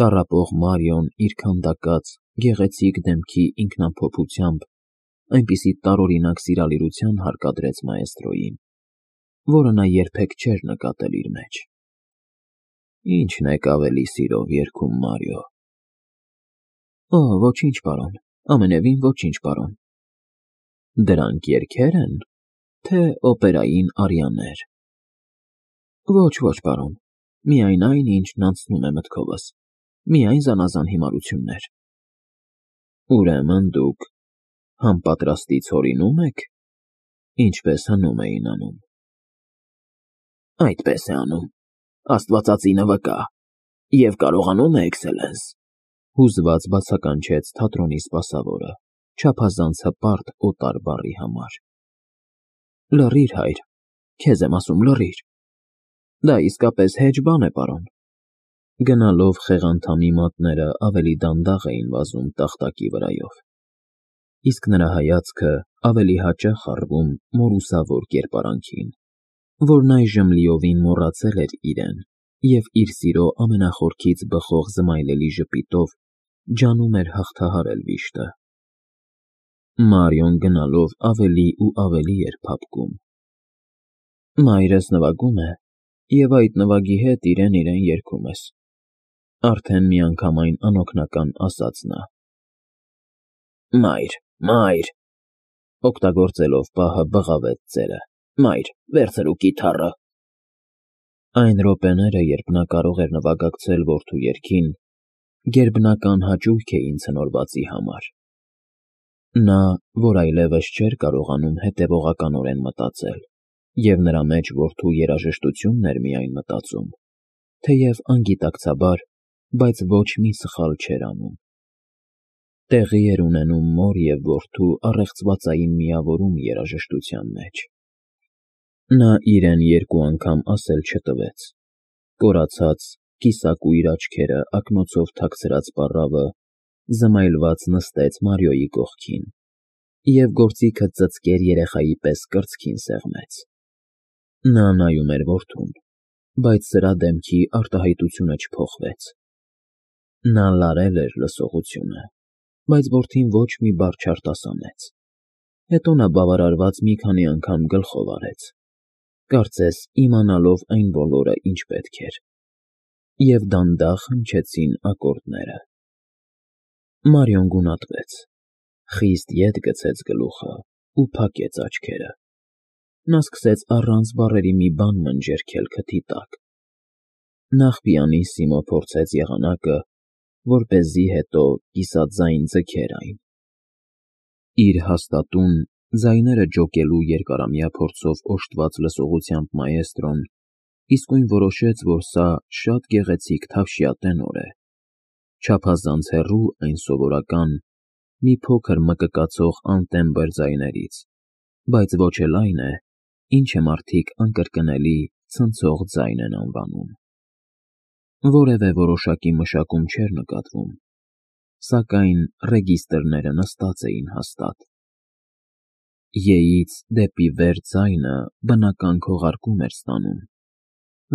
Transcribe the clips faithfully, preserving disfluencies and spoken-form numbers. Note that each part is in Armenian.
Տառապող Մարիոն իր քանդակած, գեղեցիկ դեմքի ինքնամփոփությամբ այնպիսի տարօրինակ սիրալիրության հարկադրեց մաեստրոյին, որը նա երբեք չէր նկատել իր մեջ։ Ի՞նչն եք ավելի սիրով երգում, Մարիո։ Օ, ոչինչ, պարոն, ամենևին ոչինչ, պարոն։ Դրանք երգե՞ր են, թե օպերային արիաներ։ Ոչ, ոչ, պարոն, միայն այն, ինչն անցնում է մտքովս, միայն զանազան հիմարություններ։ Ուրեմն դուք համապատրաստից հորինում եք, ինչպես հնում էին անում։ Այդպես է անում, աստվածածինը վկա, և կարողանում է, էքսելենս, հուզված բացականչեց թատրոնի սպասավորը, չափազանց հպարտ օտար բառի համար։ Լռիր, հայր, քեզ եմ ասում, լռիր։ Դա իսկապես հեչ բան է, պարոն։ Գնալով խեղանդամի մատները ավելի դանդաղ էին վազում տախտակի վրայով, իսկ նրա հայացքը ավելի հաճախ առվում մորուսավոր կերպարանքին, որն այժմ լիովին մոռացել էր իրեն և իր սիրո ամենախորքից բխող զմայլելի ժպիտով ջանում էր հաղթահարել վիշտը։ Մարիոն գնալով ավելի ու ավելի էր փափկում։ Մայրս նվագում է, և այդ նվագի հետ իրեն֊իրեն երգում ես, արդեն միանգամայն անօգնական ասաց նա։ Մայր, մայր, օգտագործելով պահը բղավեց ծերը, մայր, վերցրու կիթառը։ Այն րոպեները, երբ նա կարող էր նվագակցել որդու երգին, գերբնական հաճույք էին ցնորվածի համար։ Նա, որ այլևս չէր կարողանում հետևողականորեն մտածել, և նրա մեջ որդու երաժշտությունն էր միայն մտածում, թեև անգիտակցաբար, բայց ոչ մի սխալ չէր անում։ Տեղի էր ունենում մոր և որդու առեղծվածային միավորում երաժշտության մեջ։ Նա իրեն երկու անգամ ասել չտվեց, կորացած, կիսակույր աչքերը ակնոցով թաքցրած պառավը զմայլված նստեց Մարիոյի կողքին և գործիքը ծծկեր երեխայի պես կրծքին սեղմեց։ Նա նայում էր որդուն, բայց սրա դեմքի արտահայտությունը չփոխվեց։ Նա լարել էր լսողությունը, բայց որդին ոչ մի բառ չարտասանեց։ Հետո նա բավարարված մի քանի անգամ գլխով արեց, կարծես իմանալով այն բոլորը, ինչ պետք էր, և դանդաղ հնչեցին ակորդները։ Մարիոն գունատվեց, խիստ ետ գցեց գլուխը ու փակեց աչքերը։ Նա սկսեց առանց բառերի մի բան մնջերքել քթի տակ։ Նախ պիանիսիմո փորձեց եղանակը, որպեսզի հետո կիսաձայն ձգեր այն։ Իր հաստատուն, ձայները ջոկելու երկարամյա փորձով օժտված լսողությամբ մաեստրոն իսկույն որոշեց, որ սա շատ գեղեցիկ թավշյա տենոր է, չափազանց հեռու այն սովորական, մի փոքր մկկացող անտեմբր ձայներից, բայց ոչ էլ այն է, ինչը մարդիկ անկրկնելի ցնցող ձայն են անվանում։ Որևէ որոշակի մշակում չէր նկատվում, սակայն ռեգիստրները նստած էին հաստատ։ Ե-ից դեպի վեր ձայնը բնական քողարկում էր ստանում,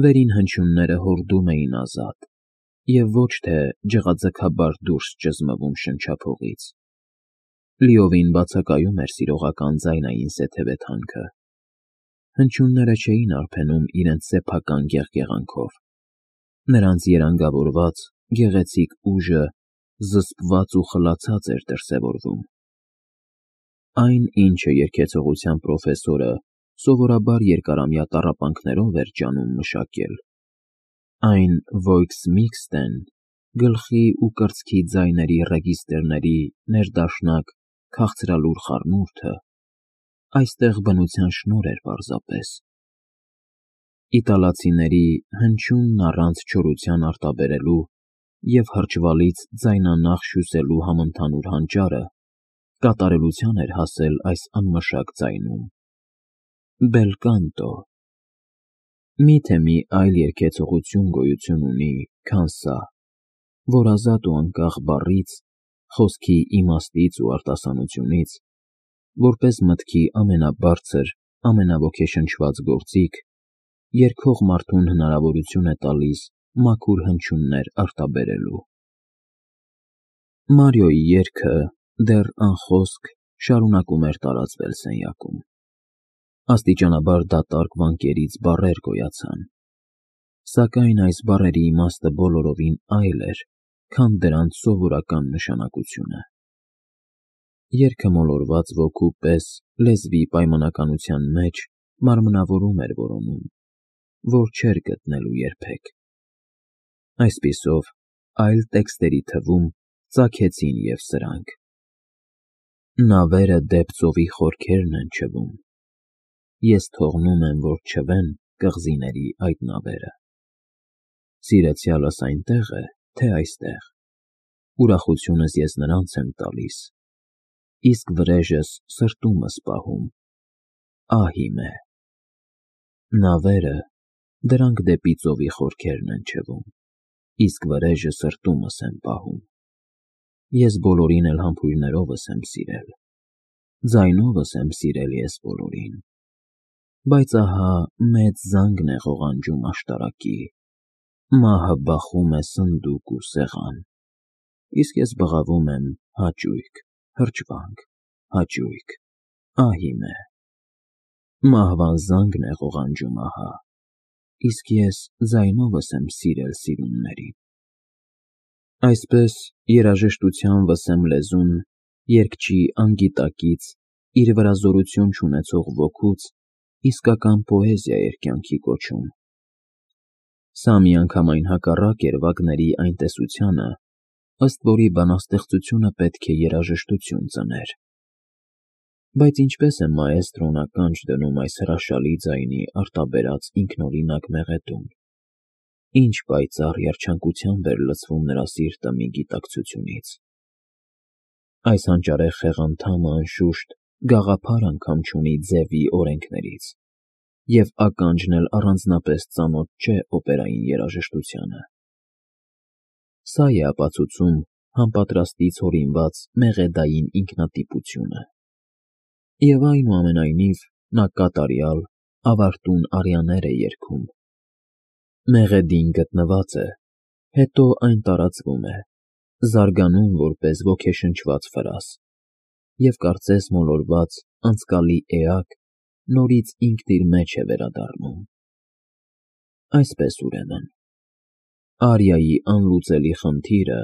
վերին հնչյունները հորդում էին ազատ և ոչ թե ջղաձգաբար դուրս ճզմվում շնչափողից։ Լիովին բացակայում էր սիրողական ձայնային սեթևեթանքը։ Հնչյունները չէին արբենում իրենց սեփական գեղգեղանքով, նրանց երանգավորված, գեղեցիկ ուժը զսպված ու խլացած էր դրսևորվում։ Այն, ինչը երգեցողության պրոֆեսորը սովորաբար երկարամյա տառապանքներով էր ջանում մշակել, այն Voix Mixte-ն, գլխի ու կրծքի ձայների ռեգիստրների ներդաշնակ քաղցրալուր խառնուրդը, այստեղ բնության շնորհ էր պարզապես։ Իտալացիների հնչյունն առանց չորության արտաբերելու և հրճվալից ձայնանախ հյուսելու համընդհանուր հանճարը կատարելության էր հասել այս անմշակ ձայնում։ Bel canto։ Մի՞թե մի այլ երգեցողություն գոյություն ունի, քան սա, որ ազատ ու անկախ բառից, խոսքի իմաստից ու արտասանությունից, որպես մտքի ամենաբարձր, ամենաոգեշնչված գործիք, երգող մարդուն հնարավորություն է տալիս մաքուր հնչյուններ արտաբերելու։ Մարիոյի երգը դեռ անխոսք շարունակում էր տարածվել սենյակում։ Աստիճանաբար դատարկ վանկերից բառեր գոյացան, սակայն այս բառերի իմաստը բոլորովին այլ էր, քան դրանց սովորական նշանակությունը։ Երգը մոլորված ոգու պես լեզվի պայմանականության մեջ մարմնավորում էր որոնում, որ չէր գտնելու երբեք։ Այսպիսով, այլ տեքստերի թվում ծագեցին և սրանք. Նավերը դեպ ծովի խորքերն են չվում, ես թողնում եմ, որ չվեն կղզիների այդ նավերը, սիրեցյալս այնտեղ է, թե այստեղ, ուրախությունս ես նրանց եմ տալիս, իսկ վրեժս սրտումս պահում, ահ իմ է, նավերը, դրանք դեպի ծովի խորքերն են չվում, իսկ վրեժը սրտումս եմ պահում, ես բոլորին էլ համբույրներովս եմ սիրել, ձայնովս եմ սիրել ես բոլորին, բայց ահա մեծ զանգն է ղողանջում աշտարակի, մահը բախում է սնդուկ ու սեղան, իսկ ես բղավում եմ հաճույք, հրճվանք, հաճույք, ահ իմ է, մահվան զանգն է ղողանջում ահա, իսկ ես ձայնովս եմ սիրել սիրուններին։ Այսպես երաժշտության վսեմ լեզուն երգչի անգիտակից իր վրա զորություն չունեցող ոգուց իսկական պոեզիա էր կյանքի կոչում։ Սա միանգամայն հակառակ էր Վագների այն տեսությանը, ըստ որի բանաստեղծությունը պետք է երաժշտություն ծներ։ Բայց ինչպես է մաեստրոն ականջ դնում այս հրաշալի ձայնի արտաբերած ինքնօրինակ մեղեդուն, ինչ պայծառ երջանկությամբ էր լցվում նրա սիրտը մի գիտակցությունից։ Այս հանճարեղ խեղանդամը անշուշտ գաղափար անգամ չունի ձևի օրենքներից, և ականջն էլ առանձնապես ծանոթ չէ օպերային երաժշտությանը։ Սա է ապացուցում համապատրաստից հորինված մեղեդային ինքնատիպությունը։ Եվ այնուամենայնիվ նա կատարյալ, ավարտուն արիաներ է երգում։ Մեղեդին գտնված է, հետո այն տարածվում է, զարգանում որպես ոգեշնչված ֆրազ, և կարծես մոլորված անցկալի էակ նորից ինքն իր մեջ է վերադառնում։ Այսպես, ուրեմն, արիայի անլուծելի խնդիրը,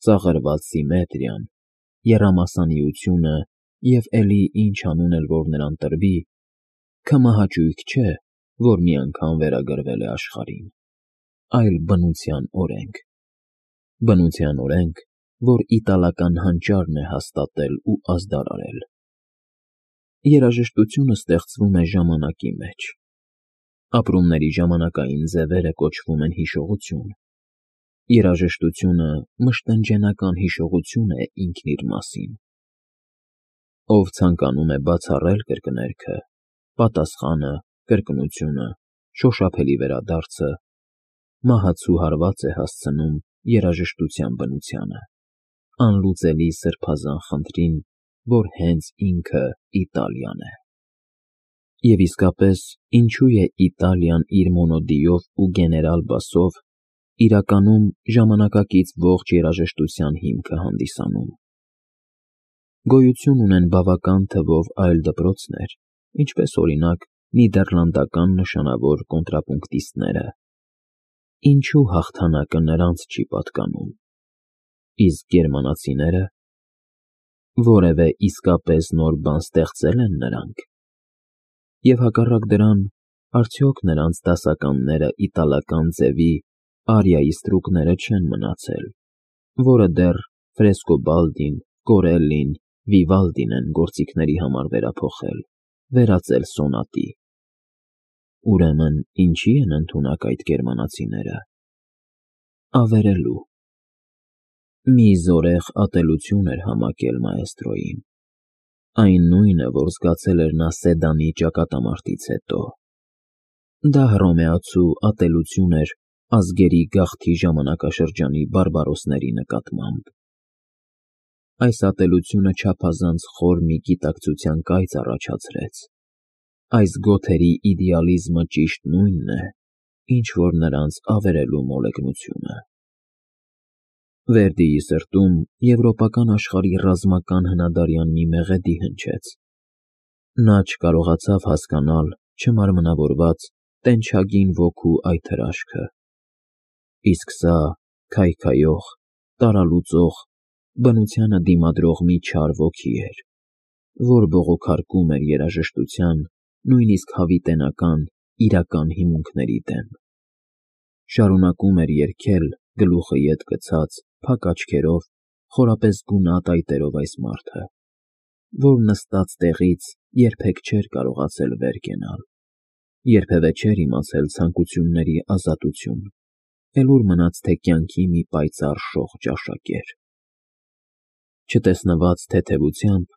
ծաղրված սիմետրիան, եռամասանիությունը և էլի ինչ անուն էլ որ նրան տրվի, քմահաճույք չէ, որ մի անգամ վերագրվել է աշխարհին, այլ բնության օրենք, բնության օրենք, որ իտալական հանճարն է հաստատել ու ազդարարել։ Երաժշտությունը ստեղծվում է ժամանակի մեջ, ապրումների ժամանակային ձևերը կոչվում են հիշողություն, երաժշտությունը մշտնջենական հիշողություն է ինքն իր մասին։ Ով ցանկանում է բացառել կրկներգը, պատասխանը, կրկնությունը, շոշափելի վերադարձը, մահացու հարված է հասցնում երաժշտության բնությանը, անլուծելի սրբազան խնդրին, որ հենց ինքը Իտալիան է։ Եվ իսկապես, ինչու է Իտալիան իր մոնոդիով ու գեներալ բասով իրականում ժամանակակից ողջ երաժշտության հիմքը հանդիսանում։ Գոյություն ունեն բավական թվով այլ դպրոցներ, ինչպես օրինակ նիդերլանդական նշանավոր կոնտրապունկտիստները։ Ինչու հաղթանակը նրանց չի պատկանում, իսկ գերմանացիները, որևէ իսկապես նոր բան ստեղծե՞լ են նրանք։ Եվ հակառակ դրան, արդյոք նրանց դասականները իտալական ձևի արիայի ստրուկները չեն մնացել, որը դեռ Ֆրեսկոբալդին, Կորելլին, Վիվալդին են գործիքների համար վերափոխել, վերածել սոնատի։ Ուրեմն ինչի՞ են ընդունակ այդ գերմանացիները։ Ավերելու։ Մի զորեղ ատելություն էր համակել մաեստրոյին, այն նույնը, որ զգացել էր նա Սեդանի ճակատամարտից հետո։ Դա հռոմեացու ատելություն էր ազգերի գաղթի ժամանակաշրջանի բարբարոսների նկատմամբ։ Այս ատելությունը չափազանց խոր մի գիտակցության կայծ առաջացրեց։ Այս գոթերի իդեալիզմը ճիշտ նույնն է, ինչ որ նրանց ավերելու մոլեգնությունը։ Վերդիի սրտում եվրոպական աշխարհի ռազմական հնադարյան մի մեղեդի հնչեց. նա չկարողացավ հասկանալ չմարմնավորված, տենչագին ոգու այդ հրաշքը, իսկ սա քայքայող, տարալուծող, բնությանը դիմադրող մի չար ոգի էր, որ բողոքարկում էր երաժշտության, նույնիսկ հավիտենական, իրական հիմունքների դեմ, շարունակում էր երգել գլուխը ետ գցած, փակ աչքերով, խորապես գունատ այտերով այս մարդը, որ նստած տեղից երբեք չէր կարողացել վեր կենալ, երբևէ չէր իմացել ցանկությունների ազատություն, էլ ուր մնաց թե կյանքի մի պայծառ շող ճաշակեր։ Չտեսնված թեթևությամբ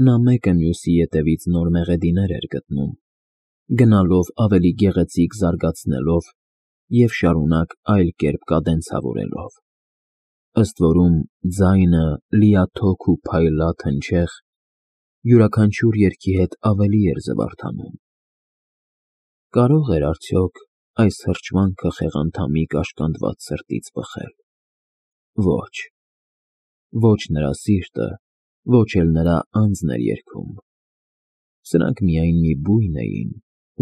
նա մեկը մյուսի ետևից նոր մեղեդիներ էր գտնում, գնալով ավելի գեղեցիկ զարգացնելով և շարունակ այլ կերպ կադենցավորելով, ըստ որում ձայնը լիաթոք ու փայլատ հնչեղ յուրաքանչյուր երգի հետ ավելի էր զվարթանում։ Կարո՞ղ էր արդյոք այս հրճվանքը խեղանդամի կաշկանդված սրտից բխել։ Ոչ, ոչ նրա սիրտը, ոչ էլ նրա անձն էր երգում, սրանք միայն մի բույն էին,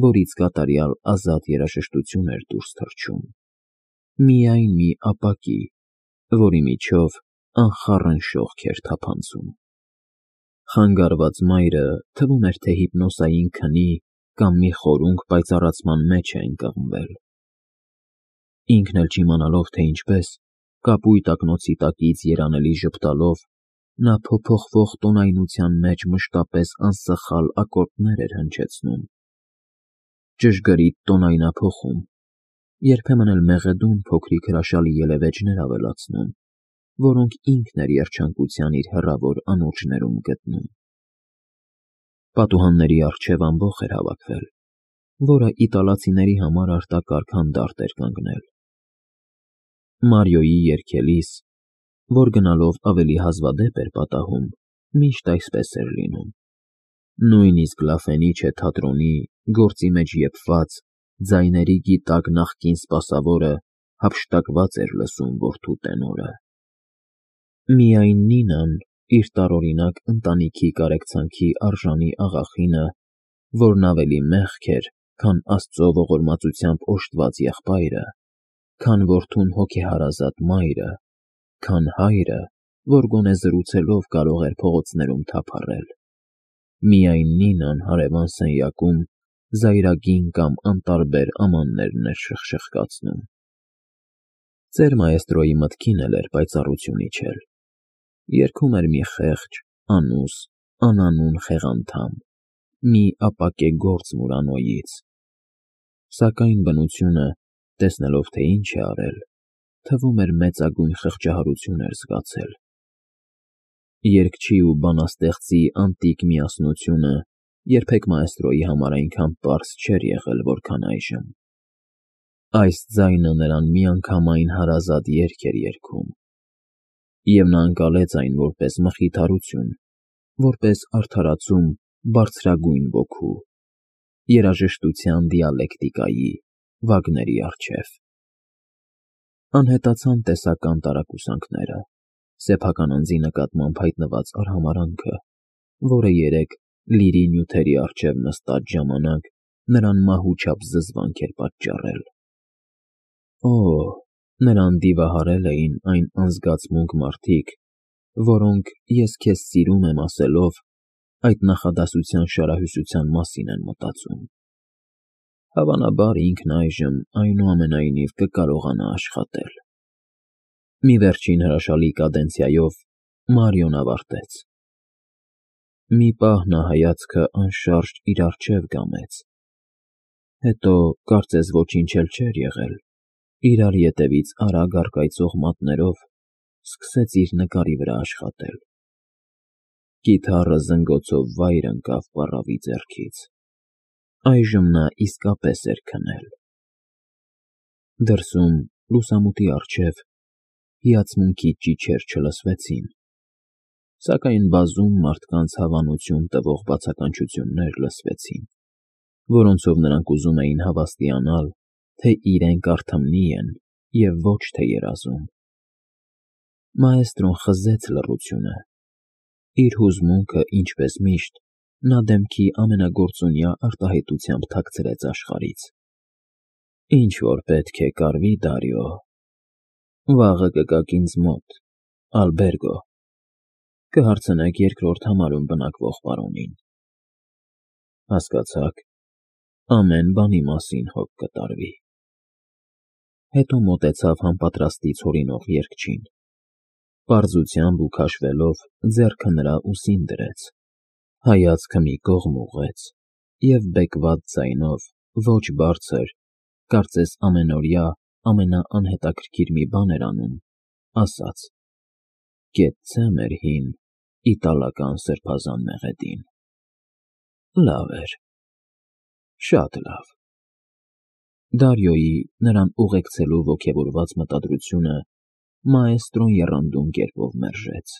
որից կատարյալ ազատ երաժշտություն էր դուրս թռչում, միայն մի ապակի, որի միջով անխառն շողք էր թափանցում։ Խանգարված մայրը թվում էր, թե հիպնոսային քնի կամ մի խորունկ պայծառացման մեջ է ընկղմվել։ Ինքն էլ չիմանալով, թե ինչպես, կապույտ ակնոցի տակից երանելի ժպտալով, նա փոփոխվող տոնայնության մեջ մշտապես անսխալ ակորդներ էր հնչեցնում, ճշգրիտ տոնայնափոխում, երբեմն էլ մեղեդուն փոքրիկ հրաշալի ելևէջներ ավելացնում, որոնք ինքն էր երջանկության իր հեռավոր անորջներում գտնում։ Պատուհանների առջև ամբոխ էր հավաքվել, որը իտալացիների համար արտակարգ հանդարտ էր կանգնել։ Մարիոյի երգելիս, որ գնալով ավելի հազվադեպ էր պատահում, միշտ այսպես էր լինում։ Նույնիսկ La Fenice թատրոնի գործի մեջ եփված ձայների գիտակ նախկին սպասավորը հափշտակված էր լսում որդու տենորը։ Միայն Նինան, իր տարօրինակ ընտանիքի կարեկցանքի արժանի աղախինը, որն ավելի մեղք էր, քան Աստծո ողորմածությամբ օժտված եղբայրը, քան որդուն հոգեհարազատ մայրը, քան հայրը, որ գոնե զրուցելով կարող էր փողոցներում թափառել, միայն Նինան հարևան սենյակում զայրագին կամ անտարբեր ամաններն էր շխշխկացնում։ Ծեր մայստրոյի մտքին էլ էր պայծառություն իջել, երգում էր մի խեղճ, անուս, անանուն խեղանդամ, մի ապակե գործ Մուրանոյից, սակայն բնությունը, տեսնելով, թե ինչ է արել, թվում էր մեծագույն խղճահարություն էր զգացել։ Երգչի ու բանաստեղծի անտիկ միասնությունը երբեք մայստրոյի համար այնքան պարզ չէր եղել, որքան այժմ։ Այս ձայնը նրան միանգամայն հարազատ երգ էր երգում, և նա ընկալեց այն որպես մխիթարություն, որպես արդարացում բարձրագույն ոգու, երաժշտության դիալեկտիկայի, Վագների առջև։ Անհետացան տեսական տարակուսանքները, սեփական անձի նկատմամբ հայտնված արհամարհանքը, որը երեկ լիրի նյութերի առջև նստած ժամանակ նրան մահուչափ զզվանք էր պատճառել։ Օ՜, նրան դիվահարել էին այն անզգացմունք մարդիկ, որոնք «ես քեզ սիրում եմ» ասելով, այդ նախադասության շարահյուսության մասին են մտածում։ Հավանաբար ինքն այժմ այնուամենայնիվ կկարողանա աշխատել։ Մի վերջին հրաշալի կադենցիայով Մարիոն ավարտեց։ Մի պահ նա հայացքը անշարժ իր առջև կամեց, հետո, կարծես ոչինչ էլ չէր եղել, իրար ետևից արագ առկայծող մատներով սկսեց իր նկարի վրա աշխատել։ Կիթառը զնգոցով վայր ընկավ պառավի ձեռքից։ Այժմ նա իսկապես էր քնել։ Դրսում, լուսամուտի առջև, հիացմունքի ճիչեր չլսվեցին, սակայն բազում մարդկանց հավանություն տվող բացականչություններ լսվեցին, որոնցով նրանք ուզում էին հավաստիանալ, թե իրենք արթմնի են և ոչ թե երազում։ Մաեստրոն խզեց լռությունը։ Իր հուզմունքը, ինչպես միշտ, նա դեմքի ամենագործունյա արտահայտությամբ թաքցրեց աշխարհից։ Ինչ որ պետք է կարվի, Դարիո, վաղը կգաք ինձ մոտ, ալբերգո, կհարցնեք երկրորդ համարում բնակվող պարոնին։ Հասկացա՞ք, ամեն բանի մասին հոգ կտարվի։ Հետո մոտեցավ համապատրաստից հորինող երգչին, պարզությամբ ու քաշվելով ձեռքը նրա ուսին դրեց, հայացքը մի կողմ ուղղեց և բեկված ձայնով, ոչ բարձր, կարծես ամենօրյա ամենաանհետաքրքիր մի բան էր անում, ասաց. «Կեցցե մեր հին իտալական սրբազան մեղեդին»։ Լավ էր, շատ լավ։ Դարիոյի նրան ուղեկցելու ոգևորված մտադրությունը մաեստրոն եռանդուն կերպով մերժեց։